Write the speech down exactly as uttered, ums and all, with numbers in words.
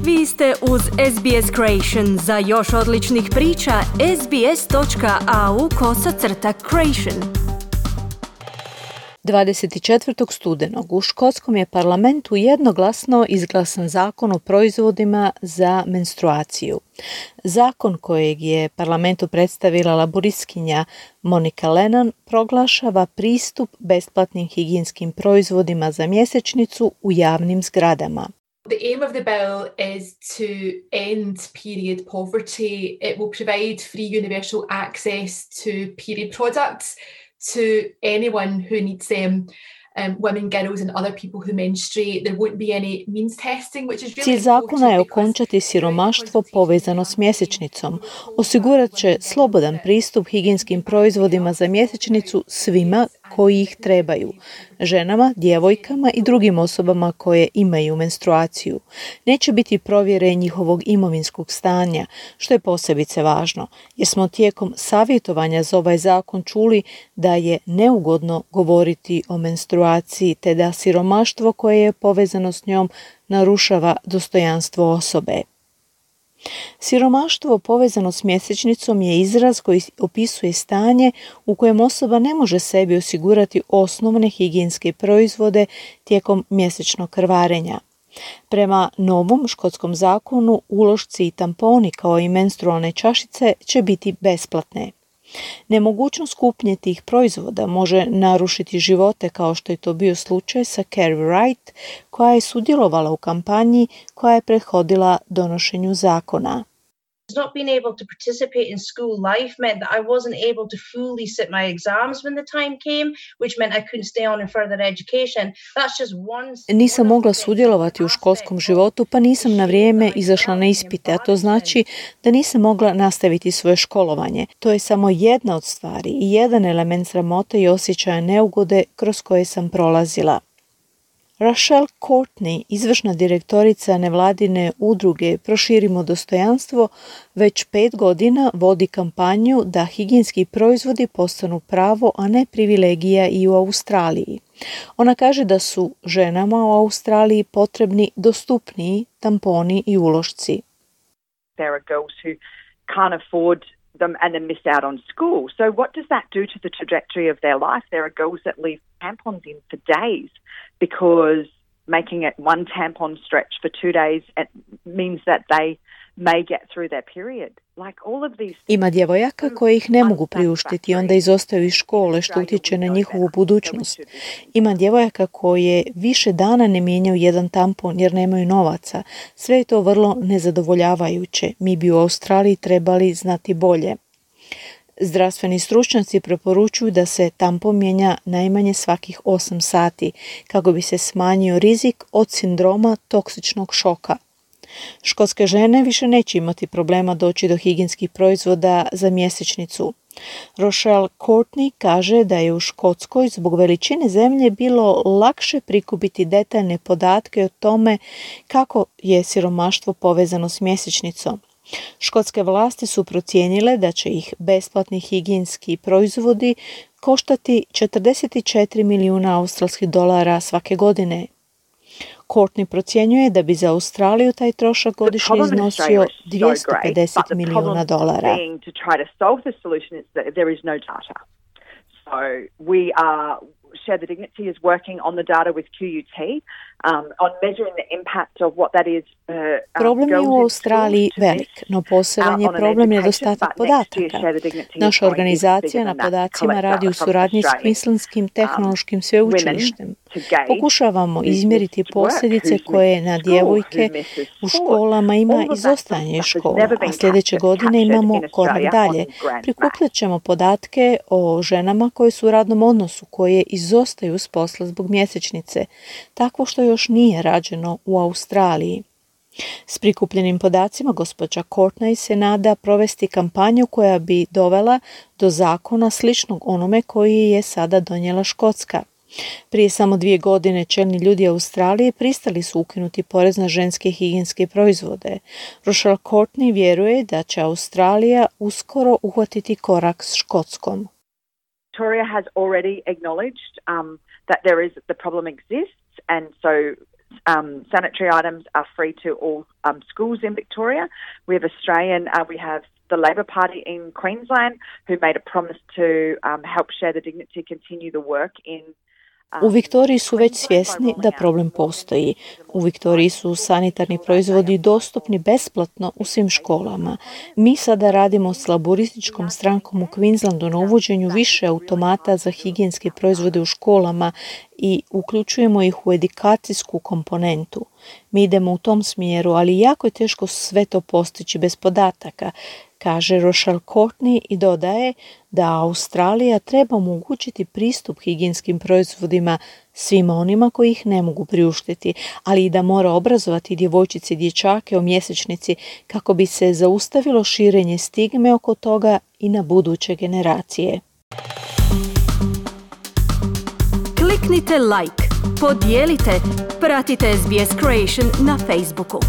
Vi ste uz S B S Creation. Za još odličnih priča, sbs.au kosacrta creation. dvadeset četvrtog studenog u Škotskom je parlamentu jednoglasno izglasan zakon o proizvodima za menstruaciju. Zakon kojeg je parlamentu predstavila laboristkinja Monica Lennon proglašava pristup besplatnim higijenskim proizvodima za mjesečnicu u javnim zgradama. The aim of the bill is to end period poverty. It will provide free universal access to period products to anyone who needs them. Um, women, girls and other people who menstruate. There won't be any means testing, which is really Cilj zakona je okončati siromaštvo povezano s mjesečnicom. Osigurat će slobodan pristup higijenskim proizvodima za mjesečnicu svima koji ih trebaju. Ženama, djevojkama i drugim osobama koje imaju menstruaciju. Neće biti provjere njihovog imovinskog stanja, što je posebice važno, jer smo tijekom savjetovanja za ovaj zakon čuli da je neugodno govoriti o menstruaciji, te da siromaštvo koje je povezano s njom narušava dostojanstvo osobe. Siromaštvo povezano s mjesečnicom je izraz koji opisuje stanje u kojem osoba ne može sebi osigurati osnovne higijenske proizvode tijekom mjesečnog krvarenja. Prema novom škotskom zakonu ulošci i tamponi kao i menstrualne čašice će biti besplatne. Nemogućnost kupnje tih proizvoda može narušiti živote kao što je to bio slučaj sa Carrie Wright, koja je sudjelovala u kampanji koja je prethodila donošenju zakona. Not being able to participate in school life meant that I wasn't able to fully sit my exams when the time came, which meant I couldn't stay on in further education. That's just one. Nisam mogla sudjelovati u školskom životu, pa nisam na vrijeme izašla na ispite, a to znači da nisam mogla nastaviti svoje školovanje. To je samo jedna od stvari i jedan element sramote i osjećaja neugode kroz koje sam prolazila. Rochelle Courtney, izvršna direktorica nevladine udruge Proširimo dostojanstvo, već pet godina vodi kampanju da higijenski proizvodi postanu pravo, a ne privilegija i u Australiji. Ona kaže da su ženama u Australiji potrebni dostupniji tamponi i ulošci. There are girls who can't afford them and then miss out on school. So what does that do to the trajectory of their life? There are girls that leave tampons in for days because making it one tampon stretch for two days it means that they may get through their period. Like all of these. Ima djevojaka koje ih ne mogu priuštiti, onda izostaju iz škole, što utječe na njihovu budućnost. Ima djevojaka koje više dana ne mijenjaju jedan tampon jer nemaju novaca. Sve je to vrlo nezadovoljavajuće. Mi bi u Australiji trebali znati bolje. Zdravstveni stručnjaci preporučuju da se tampon mijenja najmanje svakih osam sati kako bi se smanjio rizik od sindroma toksičnog šoka. Škotske žene više neće imati problema doći do higijenskih proizvoda za mjesečnicu. Rochelle Courtney kaže da je u Škotskoj zbog veličine zemlje bilo lakše prikupiti detaljne podatke o tome kako je siromaštvo povezano s mjesečnicom. Škotske vlasti su procijenile da će ih besplatni higijenski proizvodi koštati četrdeset četiri milijuna australskih dolara svake godine. Courtney procjenjuje da bi za Australiju taj trošak godišnje iznosio dvjesto pedeset milijuna dolara. Share the Dignity is working on the data with Q U T um, on measuring the impact of what that is. Uh, um, problem je u Australiji velik, no poseban je problem nedostatak podataka. Naša organizacija na podacima radi u suradnji s Queenslandskim tehnološkim sveučilištem. Pokušavamo izmjeriti posljedice koje na djevojke u školama ima izostajanje iz škola, a sljedeće godine imamo korak dalje. Prikupljat ćemo podatke o ženama koje su u radnom odnosu, koje izostaju s posla zbog mjesečnice, takvo što još nije rađeno u Australiji. S prikupljenim podacima gospođa Courtney se nada provesti kampanju koja bi dovela do zakona sličnog onome koji je sada donijela Škotska. Prije samo dvije godine čelni ljudi Australije pristali su ukinuti porez na ženske higijenske proizvode. Rochelle Courtney vjeruje da će Australija uskoro uhvatiti korak s Škotskom. Victoria has already acknowledged um, that there is the problem exists, and so Um, sanitary items are free to all um, schools in Victoria. We have Australian, uh, we have the Labor Party in Queensland who made a promise to um, help share the dignity, continue the work in U Viktoriji su već svjesni da problem postoji. U Viktoriji su sanitarni proizvodi dostupni besplatno u svim školama. Mi sada radimo s laborističkom strankom u Queenslandu na uvođenju više automata za higijenske proizvode u školama i uključujemo ih u edukacijsku komponentu. Mi idemo u tom smjeru, ali jako je teško sve to postići bez podataka, kaže Rochelle Courtney i dodaje da Australija treba omogućiti pristup higijenskim proizvodima svima onima koji ih ne mogu priuštiti, ali i da mora obrazovati djevojčice i dječake o mjesečnici kako bi se zaustavilo širenje stigme oko toga i na buduće generacije. Kliknite like, podijelite, pratite S B S Creation na Facebooku.